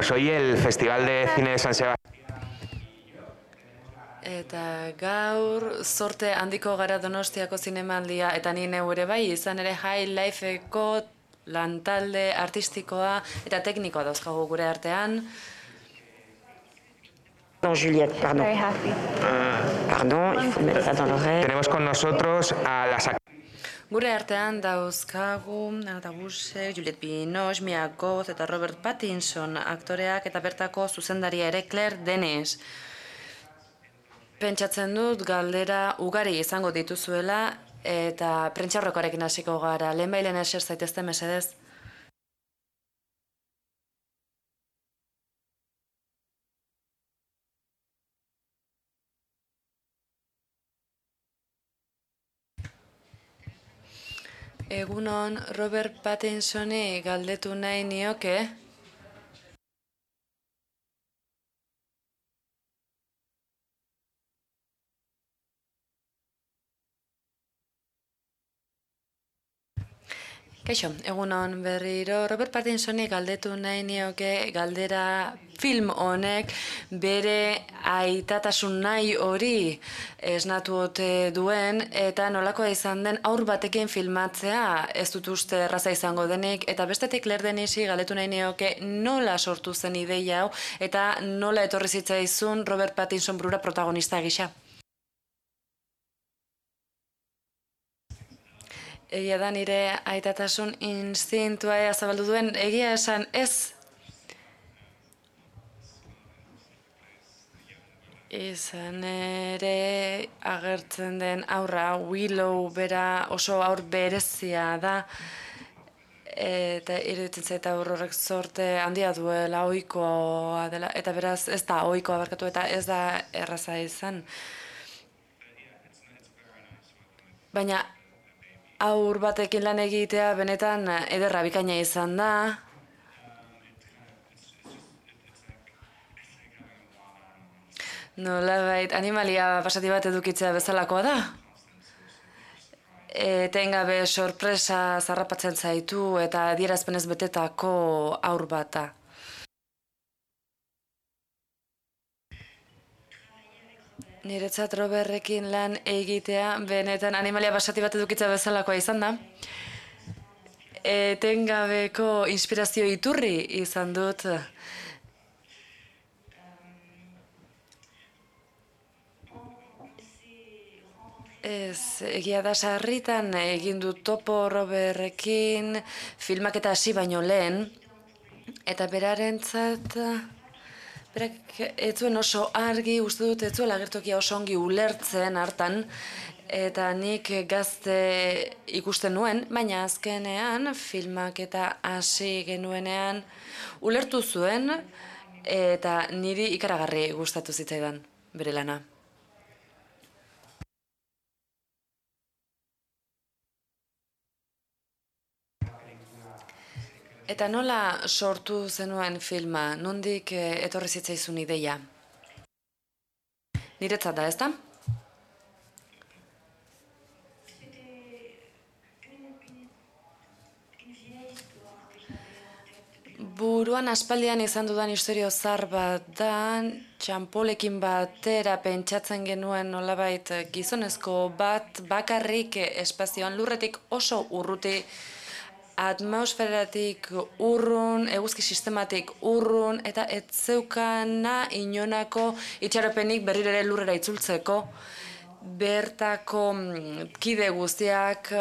Pues hoy el Festival de Cine de San Sebastián. Eta gaur zorte handiko gara Donostiako zinemaldia eta ni neu ere bai, izan ere High Lifeko lantalde artistikoa eta teknikoa dauzkagu gure artean. Non, Juliette, pardon. Very happy. Pardon, il faut mettre ça dans l'oreille. Tenemos con nosotros a las Gure artean dauzkagu Anata Busek, Juliette Binoche, Mia Goth eta Robert Pattinson aktoreak eta bertako zuzendaria ere Claire Denis. Pentsatzen dut galdera ugari izango dituzuela eta prentsaurrekoarekin hasiko gara. Lehenbailen eser zaitezte mesedez. Egunon, Robert Pattinsoni galdetu nahi nioke. Kaixo, egunon berriro, Robert Pattinsoni galdetu nahi nioke galdera film honek bere aitatasun nahi hori esnatu ote duen eta nolakoa izan den haur batekin filmatzea ez dut uste erraza izango denik eta bestetik Claire Denisi galdetu nahi nioke nola sortu zen ideia hau eta nola etorri zitzaizun Robert Pattinson burura protagonista gisa. Egia da nire aitatasun instintua zabaldu duen, egia esan ez. Izan ere agertzen den aurra, Willow bera oso aur berezia da. Eta iruditzen zait aur horrek zorte handia duela, ohikoa dela, eta beraz ez da ohikoa barkatu eta ez da erraza izan. Baina haur batekin lan egitea benetan ederra bikaina izan da. Nolabait animalia pasati bat edukitzea bezalakoa da. Etengabe sorpresa zarrapatzen zaitu eta adierazpenez betetako haur bat da. Niretzat Robertrekin lan egitea benetan animalia basati bat edukitza bezalakoa izan da. Etengabeko inspirazio iturri izan dut. Ez, egia da sarritan egin dut topo Robertrekin filmaketa hasi baino lehen eta berarentzat berak ez zuen oso argi, uste dut ez zuela agertokia oso ongi ulertzen hartan, eta nik gazte ikusten nuen, baina azkenean filmak eta hasi genuenean ulertu zuen eta niri ikaragarri gustatu zitzaidan bere lana. Eta nola sortu zenuen filma, nondik etorri zitzaizun ideia? Niretzat da, ezta? Buruan aspaldian izan dudan istorio zar bat da, txanpolekin batera pentsatzen genuen nolabait gizonezko bat bakarrik espazioan lurretik oso urruti atmosferatik urrun, eguzki sistematik urrun, eta ez zeukana inonako itxaropenik berriro ere lurrera itzultzeko. Bertako kide guztiak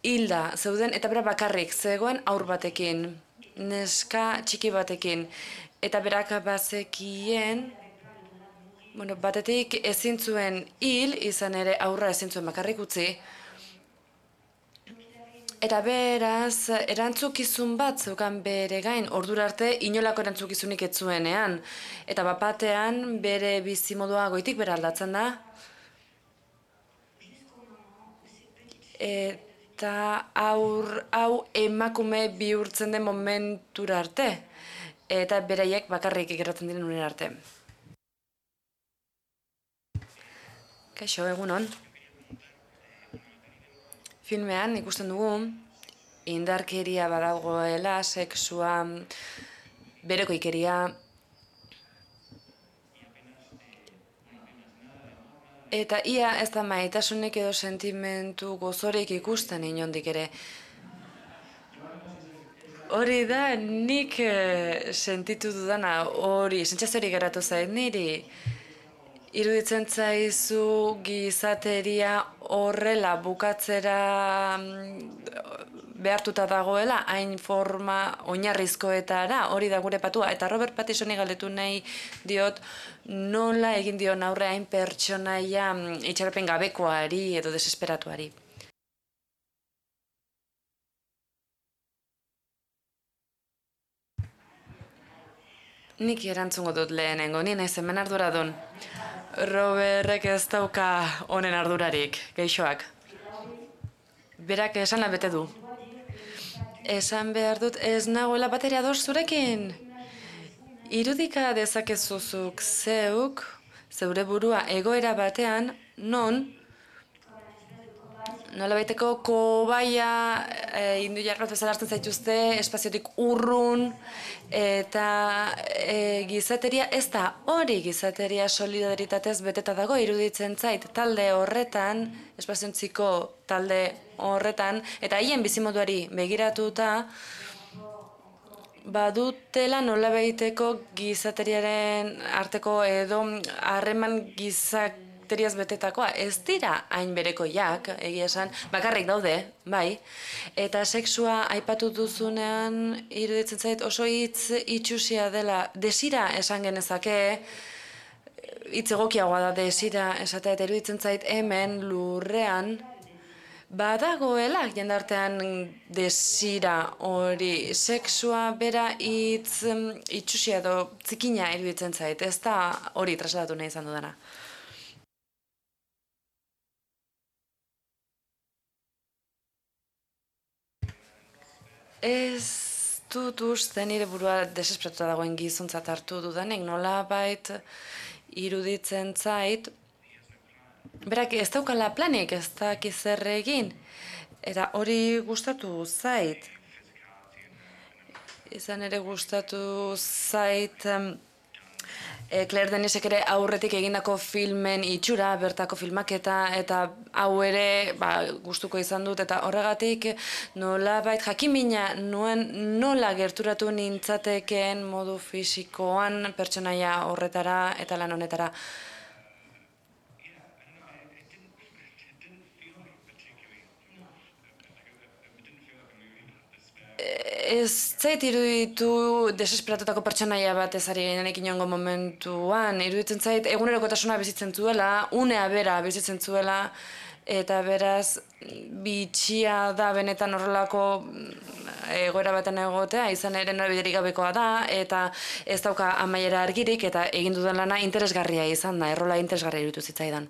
hilda zeuden, eta bera bakarrik zegoen haur batekin, neska txiki batekin. Eta berak bazekien, batetik ezin zuen hil, izan ere aurra ezin zuen bakarrik utzi, eta beraz, erantzukizun bat zeukan bere gain, ordura arte inolako erantzukizunik ez zuenean. Eta bapatean bere bizimodua goitik bera aldatzen da. Eta hau emakume bihurtzen den momentura arte. Eta beraiek bakarrik geratzen diren unera arte. Kaixo, egunon. Filmean ikusten dugu indarkeria badagoela, sexua, berekoikeria, eta ia ez da maitasunik edo sentimentu gozorik ikusten inondik ere. Hori da, nik sentitu dudana, hori, sentsaziorik geratu zait niri. Iruditzen zaizu gizateria horrela bukatzera behartuta dagoela, hain forma oinarrizkoetara, hori da gure patua. Eta Robert Pattinsoni galdetu nahi diot, nola egin dion aurre hain pertsonaia itxaropen gabekoari edo desesperatuari. Nik erantzungo dut lehenengo, ni naiz hemen arduradun. Robertek ez dauka honen ardurarik, geixoak. Berak esana bete du. Esan behar dut ez nagoela bateria ados zurekin. Irudika dezakezuzuk zeuk, zeure burua egoera batean, non nolabaiteko kobaia indu jarrat bezala hartzen zaituzte, espaziotik urrun, eta gizateria ez da hori, gizateria solidaritatez beteta dago, iruditzen zait talde horretan, espaziontziko talde horretan, eta haien bizimoduari begiratuta, badutela nolabaiteko gizateriaren arteko edo harreman gizateriaz betetakoa. Ez dira hain berekoiak, egia esan, bakarrik daude, bai. Eta sexua aipatu duzunean iruditzen zait oso hitz itxusia dela. Desira esan genezake, hitz egokiagoa da desira esatea, eta iruditzen zait hemen lurrean, badagoela jendartean desira hori, sexua bera hitz itxusia edo zikina iruditzen zait, ez da hori trasladatu nahi izan dudana. Ez dut uste nire burua desesperatuta dagoen gizontzat hartu dudanek, nolabait iruditzen zait, berak ez daukala planik, ez daki zer egin, eta hori gustatu zait. Izan ere gustatu zait Claire Denisek ere aurretik egindako filmen itxura, bertako filmaketa, eta hau ere gustuko izan dut, eta horregatik nolabait jakimina nuen nola gerturatu nintzatekeen modu fisikoan pertsonaia horretara eta lan honetara. Ez zait iruditu desesperatutako pertsonaia bat ez ari genenek inongo momentuan. Iruditzen zait egunerokotasuna bizitzen zuela, unea bera bizitzen zuela, eta beraz bitxia da benetan horrelako egoera baten egotea, izan ere norabiderik gabekoa da, eta ez dauka amaiera argirik, eta egin dudan lana interesgarria izan da, errola interesgarria iruditu zitzaidan.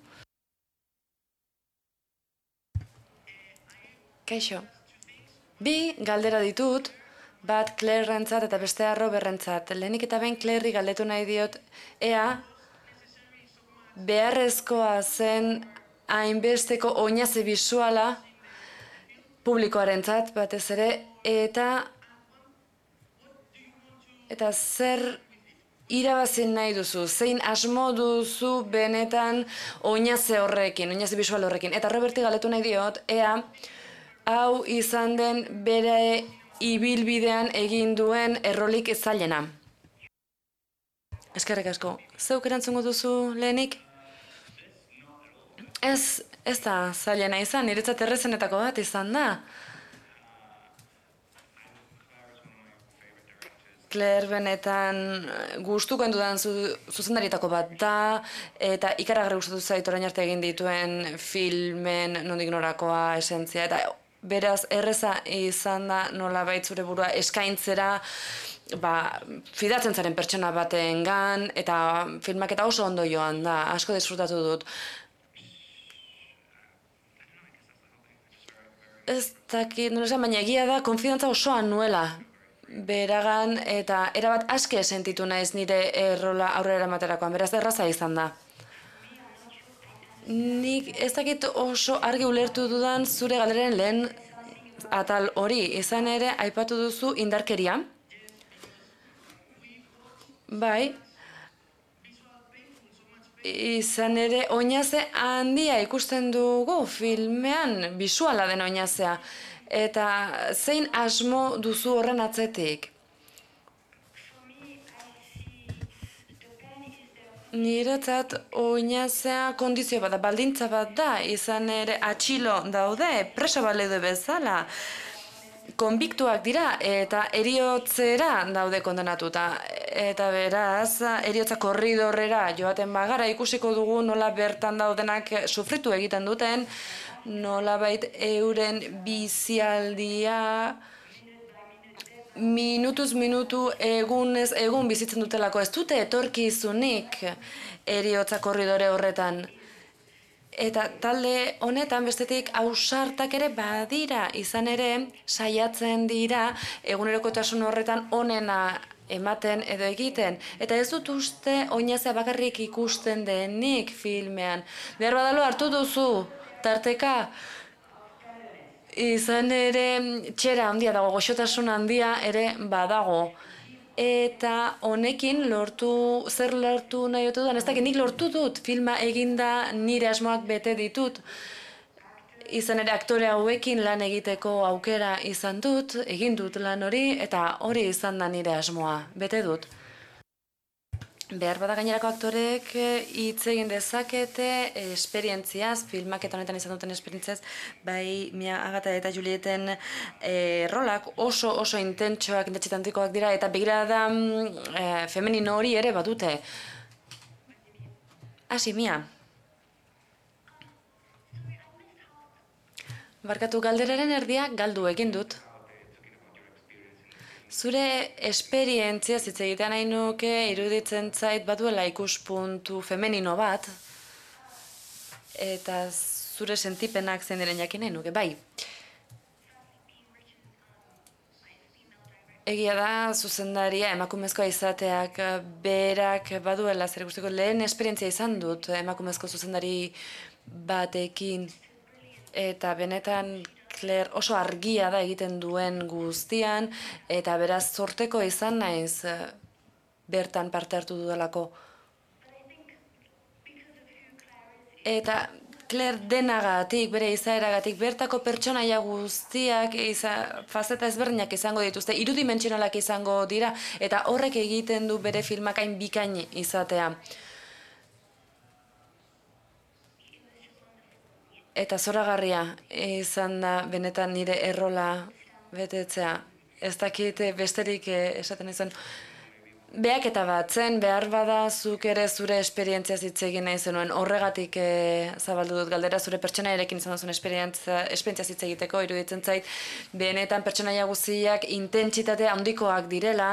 Kaixo. Bi galdera ditut, bat Claire-rentzat eta bestea Robert-rentzat. Lehenik eta behin Claire-ri galdetu nahi diot, ea beharrezkoa zen hainbesteko oinaze bisuala publikoarentzat batez ere, eta zer irabazi nahi duzu, zein asmo duzu benetan oinaze horrekin, oinaze bisual horrekin. Eta Roberti galdetu nahi diot, ea hau izan den bere ibilbidean egin duen errolik zailena. Eskerrik asko. Zeuk erantzungo duzu lehenik? Ez da zailena izan, niretzat errezenetako bat izan da. Claire benetan gustukoen dudan zuzendarietako bat da, eta ikaragarri gustatu zait orain arte egin dituen filmen nondik norakoa esentzia, eta beraz erreza izan da nolabait zure burua eskaintzera fidatzen zaren pertsona batengan, eta filmaketa oso ondo joan da, asko disfrutatu dut. Ez dakit, baina egia da, konfidantza osoa nuela beragan, eta erabat aske sentitu naiz nire errola aurrera eramaterakoan, beraz erraza izan da. Nik ez dakit oso argi ulertu dudan zure galderaren lehen atal hori, izan ere aipatu duzu indarkeria. Bai, izan ere oinaze handia ikusten dugu filmean, bisuala den oinazea. Eta zein asmo duzu horren atzetik? Niretzat oinazea kondizio bat da, baldintza bat da, izan ere atxilo daude, presa baleude bezala. Konbiktuak dira eta eriotzera daude kondenatuta. Eta beraz, eriotza korridorrera joaten bagara ikusiko dugu nola bertan daudenak sufritu egiten duten, nolabait euren bizialdia minutuz minutu egunez egun bizitzen dutelako. Ez dute etorkizunik eriotza korridore horretan. Eta talde honetan bestetik ausartak ere badira, izan ere saiatzen dira egunerokotasun horretan onena ematen edo egiten. Eta ez dut uste oinazea bakarrik ikusten denik filmean. Behar badalo hartu duzu, tarteka. Izan ere txera handia dago, goxotasun handia ere badago. Eta honekin zer lortu nahi otu duan, ez dakit nik lortu dut, filma eginda nire asmoak bete ditut. Izan ere aktore hauekin lan egiteko aukera izan dut, egin dut lan hori, eta hori izan da nire asmoa, bete dut. Behar bada gainerako aktorek hitz egin dezakete esperientziaz, filmaketa honetan izan duten esperientziaz, bai Mia Agata eta Julieten rolak oso intentsoak, intentxitantikoak dira, eta begirada femenino hori ere badute. Hasi, Mia. Barkatu, galderaren erdia galdu egin dut. Zure esperientzia hitz egitean nahi nuke iruditzen zait baduela ikuspuntu femenino bat, eta zure sentipenak zein diren jakin nahi nuke, bai. Egia da zuzendaria emakumezkoa izateak berak baduela zer guztiko lehen esperientzia izan dut emakumezko zuzendari batekin, eta benetan Claire oso argia da egiten duen guztian, eta beraz zorteko izan naiz bertan parte hartu dudalako. Eta Claire denagatik, bere izaeragatik, bertako pertsonaia guztiak fazeta ezberdinak izango dituzte, irudimentsionalak izango dira, eta horrek egiten du bere filmak hain bikain izatea. Eta zoragarria izan da benetan nire errola betetzea. Ez dakit besterik esaten izan. Behaketa bat zen, behar bada zuk ere zure esperientziaz hitz egin nahi zenuen. Horregatik zabaldu dut galdera zure pertsonaiarekin izan duzun esperientziaz hitz egiteko, iruditzen zait. Benetan pertsonaia guztiak intentsitate handikoak direla,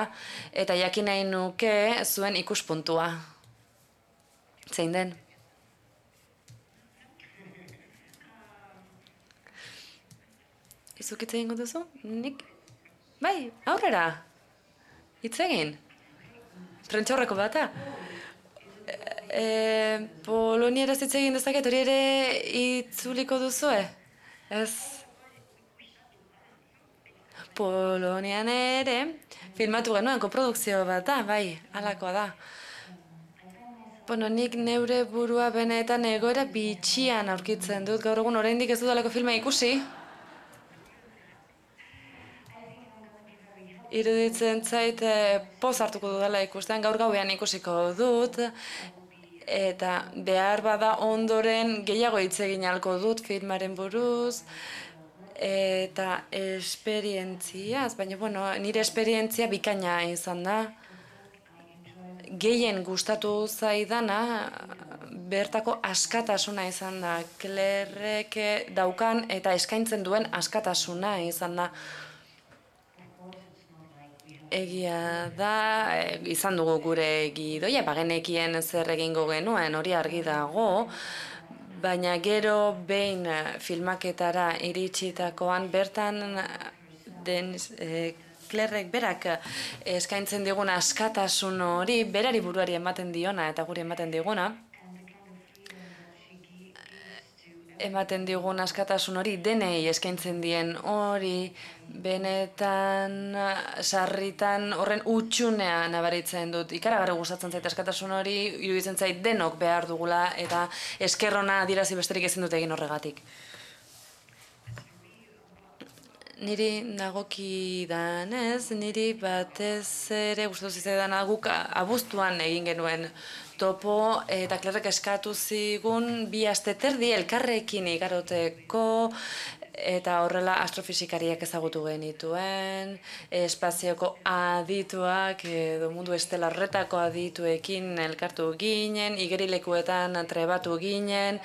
eta jakin nahi nuke zuen ikuspuntua. Zein den? Zuk hitz egingo duzu? Nik? Bai, aurrera. Hitz egin. Prentxaurreko bata. Polonieraz hitz egin dezaket, hori ere itzuliko duzue? Ez. Polonian ere filmatu genuen koprodukzio bat da, bai, halakoa da. Bueno, nik neure burua benetan egoera bitxian aurkitzen dut. Gaur egun oraindik ez dudalako filma ikusi. Iruditzen zait poz hartuko dudala ikusten, gaur gauean ikusiko dut, eta behar bada ondoren gehiago hitz egin ahalko dut filmaren buruz, eta esperientziaz, baina bueno, nire esperientzia bikaina izan da. Gehien gustatu zaidana bertako askatasuna izan da, Clairek daukan eta eskaintzen duen askatasuna izan da. Egia da, izan dugu gure gidoia, bagenekien zer egingo genuen, hori argi dago, baina gero behin filmaketara iritsitakoan bertan den Clairek berak eskaintzen digun askatasun hori, berari buruari ematen diona eta guri ematen diguna. ematen digun askatasun hori, denei eskaintzen dien hori, benetan sarritan horren utxunea nabaritzen dut. Ikaragarri gustatzen zait askatasun hori, iruditzen zait denok behar dugula eta eskerrona adirazi besterik ezin dut egin horregatik. Niri dagokidanez, niri batez ere gustatu zitzaidan guk abuztuan egin genuen topo eta Klerrek eskatu zigun 2 aste terdi elkarrekin igaroteko eta horrela astrofisikariak ezagutu genituen, espazioko adituak edo mundu estelar horretako adituekin elkartu ginen, igerilekuetan trebatu ginen.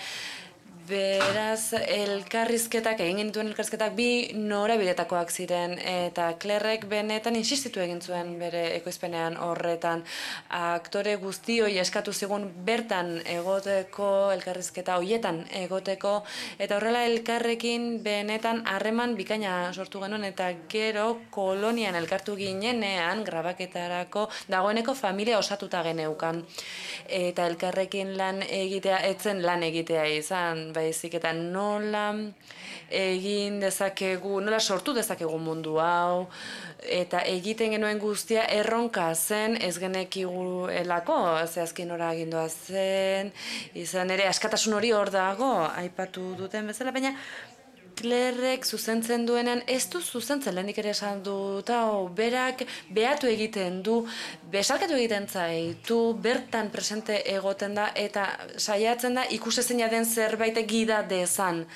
Beraz, egin genituen elkarrizketak 2 norabidetakoak ziren eta Klerrek benetan insistitu egin zuen bere ekoizpenean horretan. Aktore guztioi eskatu zigun bertan egoteko, elkarrizketa hoietan egoteko, eta horrela elkarrekin benetan harreman bikaina sortu genuen eta gero kolonian elkartu ginenean grabaketarako dagoeneko familia osatuta geneukan. Eta elkarrekin lan egitea, etzen lan egitea izan, baizik eta nola egin dezakegu, nola sortu dezakegu mundu hau, eta egiten genuen guztia erronka zen ez genekiguelako, zehazkin nora agindua zen, izan ere askatasun hori hor dago, aipatu duten bezala, baina Klerrek zuzentzen duenean, ez du zuzentzen lehenik ere esan dut, berak behatu egiten du, besarkatu egiten zaitu, bertan presente egoten da, eta saiatzen da ikusezina den zerbait gida dezan.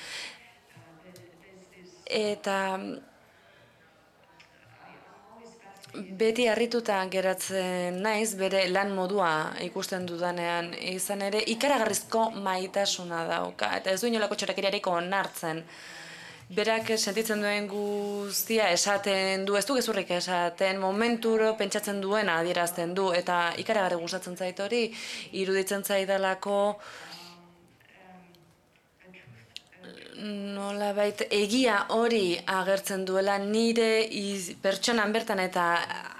Eta beti harrituta geratzen naiz bere lan modua ikusten dudanean, izan ere ikaragarrizko maitasuna dauka, eta ez du inolako txorakeriarik onartzen. Berak sentitzen duen guztia esaten du, ez du gezurrik esaten, momenturo pentsatzen duena adierazten du, eta ikaragarri gustatzen zait hori, iruditzen zaidalako nolabait egia hori agertzen duela nire pertsonan bertan eta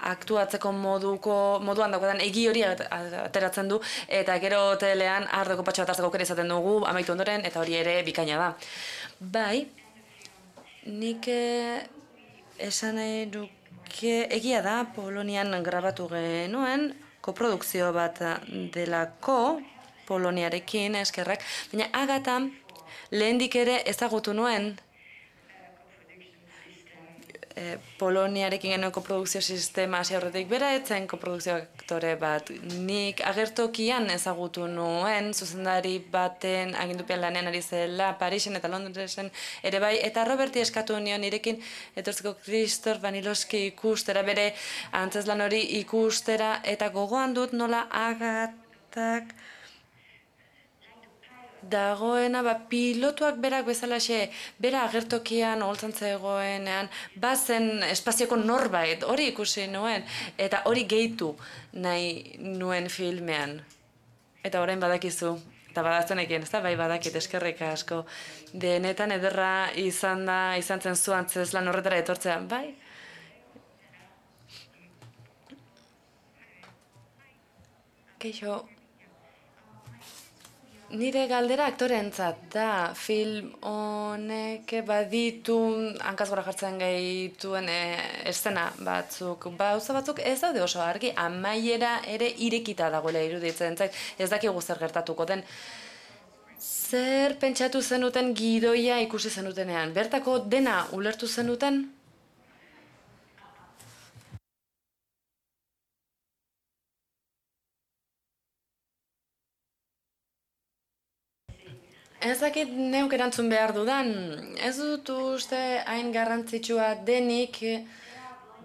aktuatzeko moduan daukadan egi hori ateratzen du, eta gero hotelean ardoko patxo bat hartzeko aukera izaten dugu amaitu ondoren, eta hori ere bikaina da. Bai, nik esan nahi duke egia da Polonian grabatu genuen, koprodukzio bat delako Poloniarekin eskerrak, baina Agata lehendik ere ezagutu nuen Poloniarekin genuen koprodukzio sistema hasi aurretik bera etzen koprodukzio aktore bat. Nik agertokian ezagutu nuen, zuzendari baten agindupean lanean ari zela, Parisen eta Londresen ere bai, eta Roberti eskatu nion nirekin etortzeko Krzysztof Wanilowski ikustera, bere antzezlan hori ikustera, eta gogoan dut nola Agatak dagoena, pilotuak berak bezalaxe, bera agertokian oholtzan zegoenean, bazen espazioko norbait, hori ikusi nuen, eta hori gehitu nahi nuen filmean. Eta orain badakizu, eta badazenekien, ez da, bai badakit, eskerrik asko. Denetan ederra izan zen zu antzezlan horretara etortzea, bai? Keixo, nire galdera aktoreentzat da, film honek baditu hankaz gora jartzen gaituen eszena batzuk. Gauza batzuk ez daude oso argi, amaiera ere irekita dagoela iruditzen zait, ez dakigu zer gertatuko den. Zer pentsatu zenuten gidoia ikusi zenutenean? Bertako dena ulertu zenuten? Ez dakit neuk erantzun behar dudan, ez dut uste hain garrantzitsua denik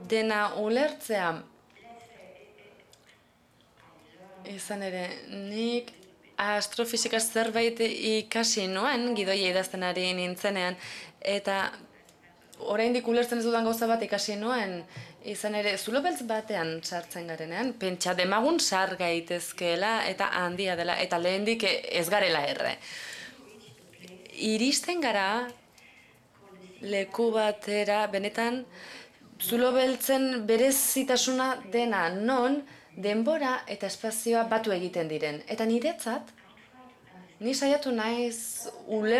dena ulertzea. Izan ere, nik astrofizikaz zerbait ikasi nuen, gidoia idazten ari nintzenean, eta oraindik ulertzen ez dudan gauza bat ikasi nuen, izan ere, zulo beltz batean sartzen garenean, pentsa demagun sar gaitezkeela eta handia dela, eta lehendik ez garela erre. Iristen gara leku batera, benetan, zulo beltzen berezitasuna dena non denbora eta espazioa batu egiten diren. Eta niretzat, Ni saiatu naiz hori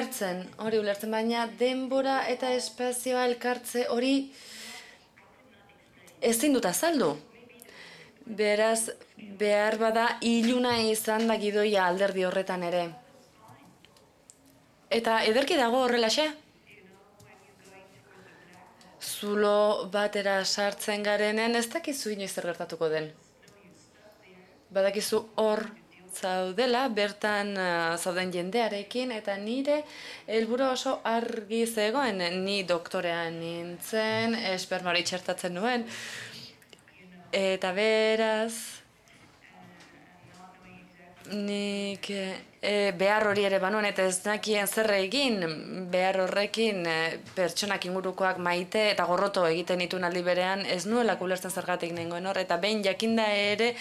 ulertzen, baina denbora eta espazioa elkartze hori ezin dut azaldu. Beraz, behar bada iluna izan da gidoia alderdi horretan ere. Eta ederki dago horrelaxe? Zulo batera sartzen garenen ez dakizu inoiz zer gertatuko den. Badakizu hor zaudela, bertan zauden jendearekin, eta nire helburua oso argi zegoen, ni doktorean nintzen, esperma hori txertatzen nuen, eta beraz, nik behar hori ere banuen, eta ez nakien zer egin, behar horrekin pertsonak ingurukoak maite eta gorroto egiten dituen aldi berean, ez nuelak ulertzen zergatik nengoen hor, eta behin jakinda ere,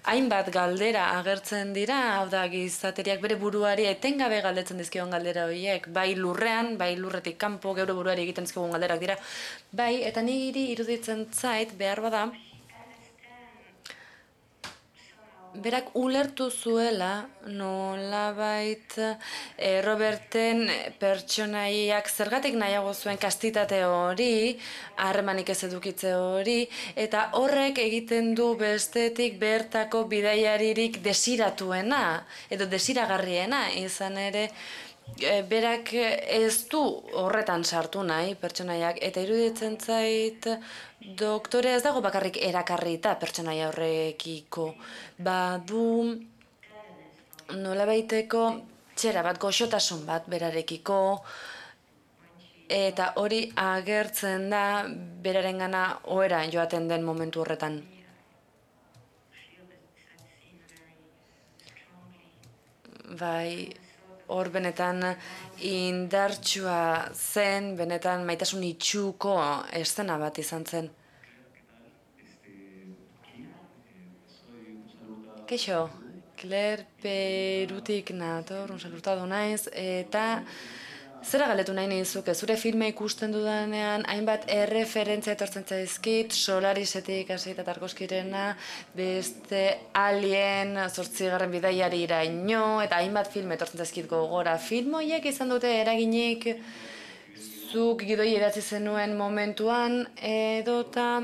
hainbat galdera agertzen dira, hau da gizateriak bere buruari etengabe galdetzen dizkion galdera horiek, bai lurrean, bai lurretik kanpo, geure buruari egiten dizkigun galderak dira, bai, eta niri iruditzen zait behar bada, berak ulertu zuela nolabait Roberten pertsonaiak zergatik nahiago zuen kastitate hori, harremanik ez edukitze hori, eta horrek egiten du bestetik bertako bidaiaririk desiratuena, edo desiragarriena izan ere, berak ez du horretan sartu nahi pertsonaiak, eta iruditzen zait doktore ez dago bakarrik erakarrita pertsonaia horrekiko. Badu nolabaiteko txera bat, goxotasun bat berarekiko, eta hori agertzen da berarengana ohera joaten den momentu horretan. Bai, hor benetan indartsua zen, benetan maitasun itxuko eszena bat izan zen. Keixo, Claire Perutik nator, un salurtado naiz, eta zera galdetu nahi nizuke, zure filma ikusten dudanean, hainbat erreferentzia etortzen zaizkit, Solarisetik hasita Tarkovskirena, beste Alien, 8. bidaiari iraino, eta hainbat film etortzen zaizkit gogora. Film horiek izan dute eraginik zuk gidoi idatzi zenuen momentuan, edota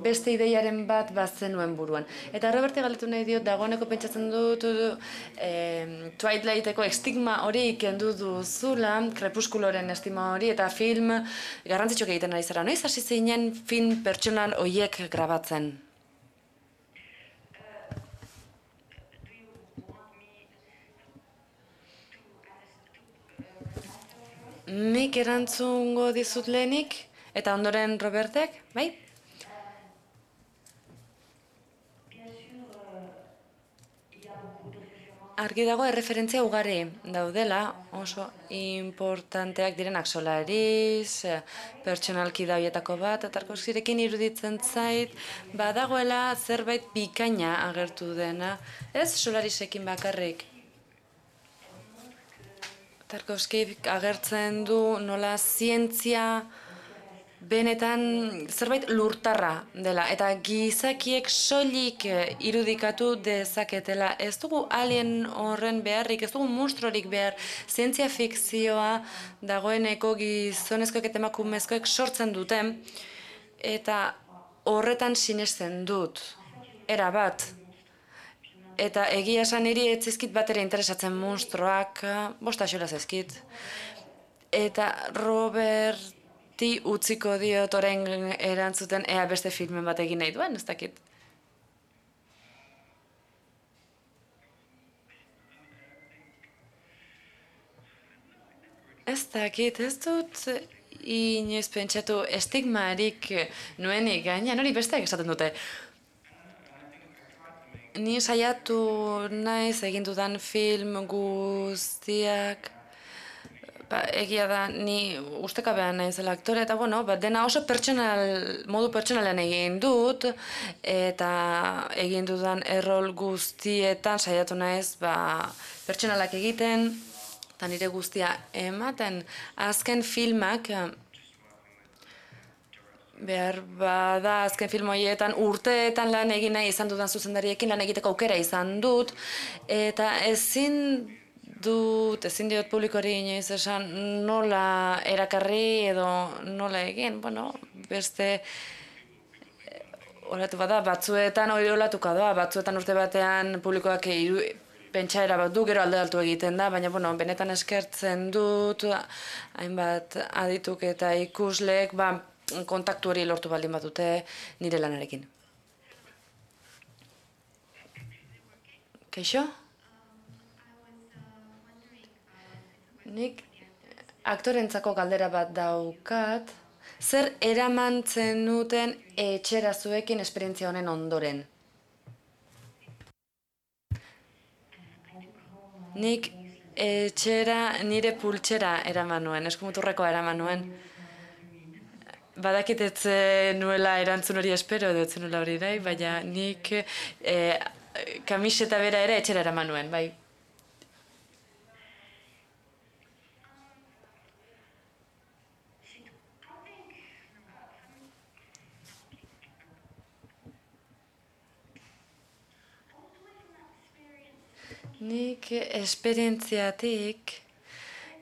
beste ideiaren bat bazenuen buruan. Eta Roberti galdetu nahi diot, dagoeneko pentsatzen dut Twilighteko estigma hori kendu duzula, Krepuskuloren estigma hori, eta film garrantzitsuak egiten ari zara. Noiz hasi zinen film pertsonal horiek grabatzen? Nik erantzungo dizut lehenik, eta ondoren Robertek, bai? Argi dago erreferentzia ugari daudela, oso importanteak direnak Solaris, pertsonalki da horietako bat, Tarkovskirekin iruditzen zait, badagoela zerbait bikaina agertu dena, ez Solarisekin bakarrik. Tarkovskik agertzen du nola zientzia benetan zerbait lurtarra dela, eta gizakiek soilik irudikatu dezaketela. Ez dugu alien horren beharrik, ez dugu monstruorik behar, zientzia fikzioa dagoeneko gizonezkoek eta emakumezkoek sortzen dute, eta horretan sinesten dut, erabat. Eta egia esan niri ez zaizkit batera interesatzen monstruoak, bosta xola zaizkit. Eta Roberti utziko diot orain erantzuten ea beste filmen bat egin nahi duen, ez dakit. Ez dakit, ez dut inoiz pentsatu estigmarik nuenik gainean, hori besteak esaten dute. Ni saiatu naiz egin dudan film guztiak, egia da, ni ustekabean naizela aktore, eta bueno, dena oso modu pertsonalean egin dut, eta egin dudan errol guztietan saiatu naiz pertsonalak egiten, eta nire guztia ematen. Azken filmak, behar bada azken film horietan urteetan lan egin nahi izan dudan zuzendariekin lan egiteko aukera izan dut, eta ezin ezin diot publikoari inoiz esan nola erakarri edo nola egin, bueno, beste olatu bada, batzuetan hori olatuka da, batzuetan urte batean publikoak pentsaera bat du, gero alde egiten da, baina bueno, benetan eskertzen dut, hainbat adituk eta ikuslek, kontaktu hori lortu baldin batute nire lanarekin. Kaixo? Nik aktorentzako galdera bat daukat, zer eraman zenuten etxera zuekin esperientzia honen ondoren? Nik etxera nire pultsera eraman nuen, eskumuturrekoa eraman nuen. Badakit ez nuela erantzun hori espero edo ez nuela hori nahi, baina nik kamiseta bera ere etxera eraman nuen, bai. Nik esperientziatik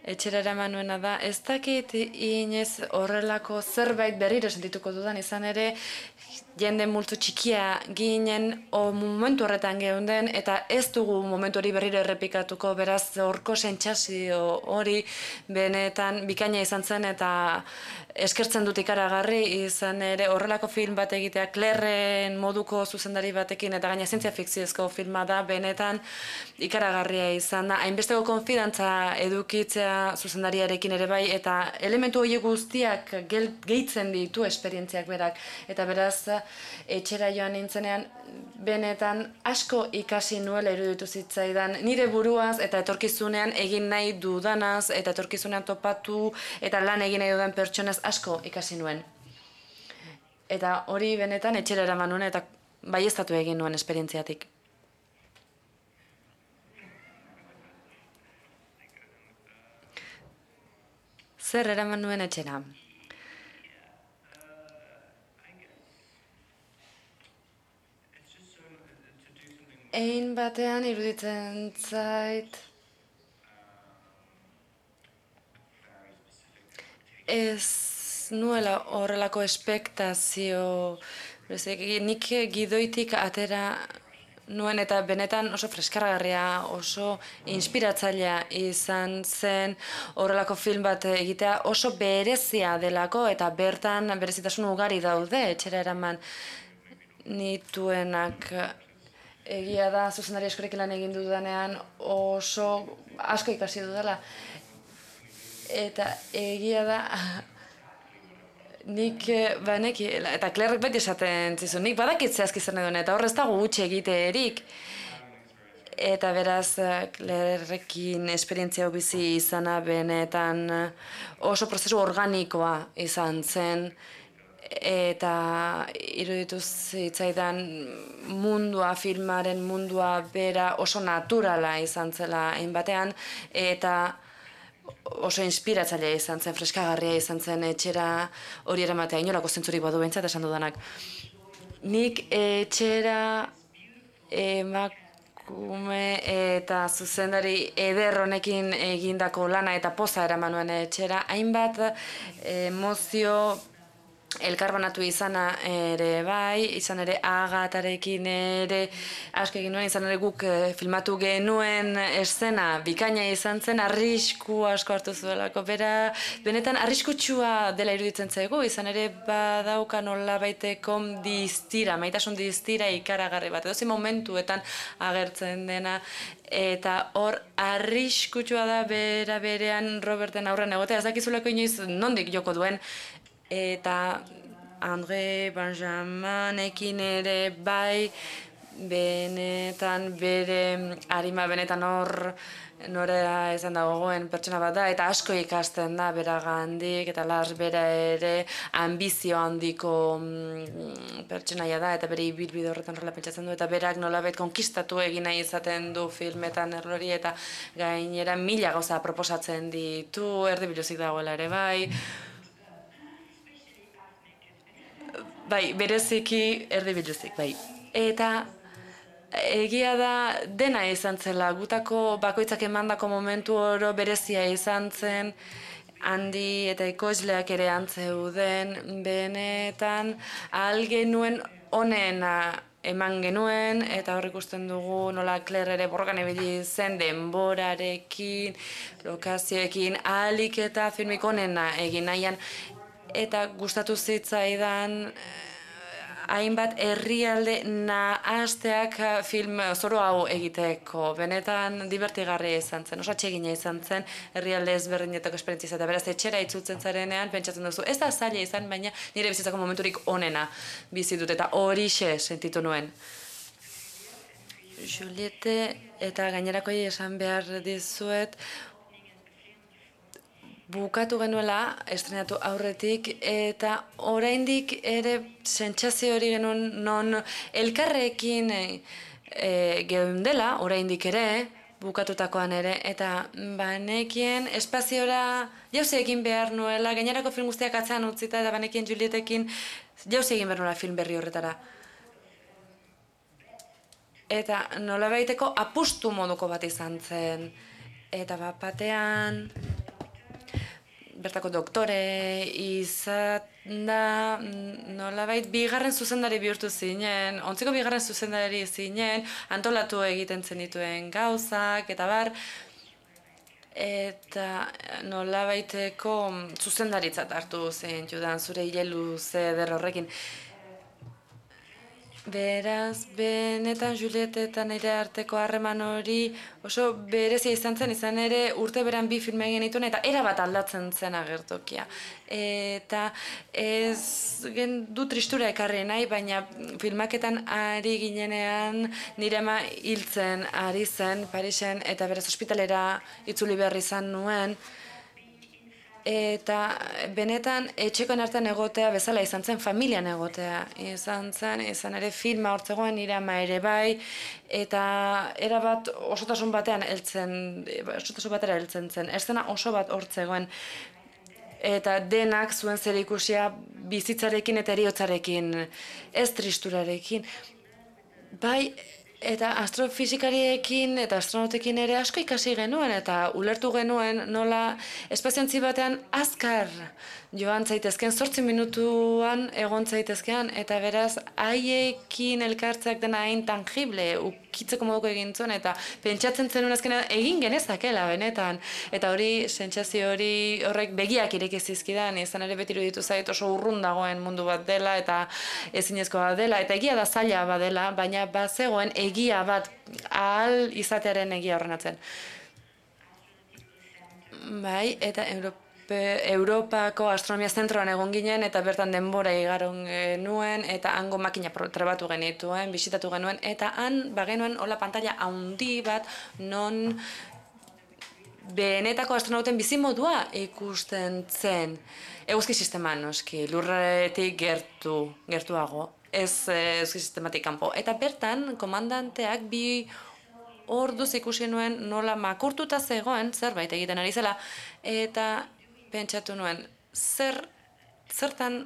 etxera eraman nuena da, ez dakit inez horrelako zerbait berriro sentituko dudan, izan ere jende multzo txikia ginen momentu horretan geunden eta ez dugu momentu hori berriro errepikatuko, beraz horko sentsazio hori benetan bikaina izan zen eta eskertzen dut ikaragarri, izan ere horrelako film bat egitea Clairren moduko zuzendari batekin eta gaina zientzia fikziozko filma da, benetan ikaragarria izan da, hainbesteko konfidantza edukitzea zuzendariarekin ere bai, eta elementu horiek guztiak gehitzen ditu esperientziak berak, eta beraz etxera joan nintzenean benetan asko ikasi nuela iruditu zitzaidan nire buruaz eta etorkizunean egin nahi dudanaz eta etorkizunean topatu eta lan egin nahi dudan pertsonez asko ikasi nuen. Eta hori benetan etxera eraman nuen eta baieztatu egin nuen esperientziatik. Zer eraman nuen etxera? Ein batean iruditzen zait ez nuela horrelako espektazio, nik gidoitik atera nuen eta benetan oso freskargarria, oso inspiratzailea izan zen horrelako film bat egitea, oso berezia delako eta bertan berezitasun ugari daude etxera eraman nituenak. Egia da, zuzendari askorekin lan egin dudanean oso asko ikasi dudala. Eta egia da, nik eta Clairrek beti esaten zizun, nik badakit zehazki zer nahi duen, eta horrez dago gutxi egiteerik. Eta beraz, Clairrekin esperientzia bizi izana benetan oso prozesu organikoa izan zen, eta iruditu zitzaidan mundua, filmaren mundua bera oso naturala izan zela hainbatean, eta oso inspiratzailea izan zen, freskagarria izan zen etxera hori eramatea, inolako zentzurik badu behintzat esan dudanak. Nik etxera emakume eta zuzendari eder honekin egindako lana eta poza eraman nuen etxera, hainbat emozio elkarbanatu izana ere bai, izan ere Agatarekin ere asko egin nuen, izan ere guk filmatu genuen eszena bikaina izan zen, arrisku asko hartu zuelako, benetan arriskutsua dela iruditzen zaigu, izan ere badauka nolabaiteko distira, maitasun distira ikaragarri bat, edozein momentuetan agertzen dena, eta hor arriskutsua da berean Roberten aurren egotea, ez dakizuleko inoiz nondik joko duen, eta André Benjaminekin ere bai, benetan bere arima benetan hor norea izan da gogoen pertsona bat da, eta asko ikasten da beragandik, eta Lars bera ere ambizio handiko pertsonaia da, eta bere ibilbide horretan horrela pentsatzen du, eta berak nolabait konkistatu egin nahi izaten du filmetan errori, eta gainera mila gauza proposatzen ditu, erdibiluzik dagoela ere bai. Bai, bereziki erdibiluzik, bai. Eta egia da dena izan zela, gutako bakoitzak emandako momentu oro berezia izan zen, handi eta ekoizleak ere antzeuden, benetan ahal genuen onena eman genuen, eta hor ikusten dugu nola Claire ere borrokan ibili zen denborarekin, lokazioekin, ahalik eta filmik onena egin nahian, eta gustatu zitzaidan hainbat herrialde nahasteak film zoro hau egiteko. Benetan divertigarria izan zen, oso atsegina izan zen, herrialde ezberdinetako esperientzia eta beraz etxera itzultzen zarenean pentsatzen duzu. Ez da zaila izan, baina nire bizitzako momenturik onena bizi dut eta horixe sentitu nuen. Juliette eta gainerakoi esan behar dizuet, bukatu genuela, estrenatu aurretik, eta oraindik ere sentsazio hori genuen non elkarrekin geundela, oraindik ere, bukatutakoan ere, eta banekien espaziora jauzi egin behar nuela, gainerako film guztiak atzean utzita, eta banekien Julietekin jauzi egin behar nuela film berri horretara. Eta nolabaiteko apustu moduko bat izan zen, eta bat batean bertako doktore izan da, nolabait bigarren zuzendari bihurtu zinen, ontziko bigarren zuzendari zinen, antolatu egiten zenituen gauzak, eta bar, eta nolabaiteko zuzendaritzat hartu zen judan zure hile luze eder horrekin. Beraz, benetan Juliette eta nire arteko harreman hori oso berezia izan ere urte beran bi filme egin dituen eta erabat aldatzen zen agertokia. Eta ez du tristura ekarri nahi, baina filmaketan ari ginenean nire ama hiltzen ari zen Parisen eta beraz ospitalera itzuli behar izan nuen. Eta benetan etxekoen artean egotea bezala izan zen, familian egotea izan ere filma hortzegoen nire ama ere bai, eta erabat osotasun batera heltzen zen, eszena oso bat hortzegoen, eta denak zuen zerikusia bizitzarekin eta heriotzarekin, ez tristurarekin. Bai, eta astrofizikariekin eta astronautekin ere asko ikasi genuen eta ulertu genuen nola espaziontzi batean azkar joan zaitezken, 8 minutuan egon zaitezkean, eta beraz haiekin elkartzeak dena hain tangible, ukitzeko moduko egin zuen, eta pentsatzen zenuen azkenean egin genezakela benetan, eta hori, sentsazio hori horrek begiak ireki zizkidan, izan ere beti iruditu zait oso urrun dagoen mundu bat dela, eta ezinezkoa dela, eta egia da zaila badela, baina bazegoen egia bat ahal izatearen egia horren atzen. Bai, eta Europako astronomia zentroan egon ginen, eta bertan denbora igaron genuen, eta hango makina trebatu genituen, bisitatu genuen, eta han bagenuen hola pantalla handi bat non benetako astronauten bizimodua ikusten zen. Eguzki sisteman, noski, lurretik gertuago, ez eguzki sistematik kanpo. Eta bertan, komandanteak bi orduz ikusi nuen nola makurtuta zegoen, zerbait egiten ari zela, eta pentsatu nuen, zertan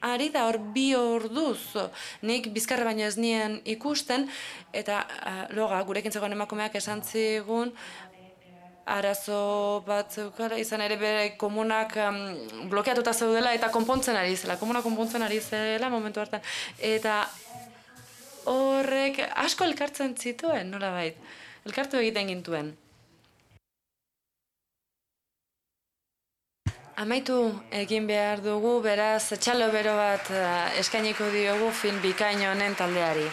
ari da hor 2 orduz, nik bizkarra baino ez nien ikusten, eta loga, gurekin zegoen emakumeak esan zigun, arazo bat zeukala, izan ere bere komunak blokeatuta zeudela eta konpontzen ari zela, komuna konpontzen ari zela momentu hartan, eta horrek asko elkartzen zituen, nolabait, elkartu egiten gintuen. Amaitu egin behar dugu, beraz, txalo bero bat eskainiko diogu film bikain honen taldeari.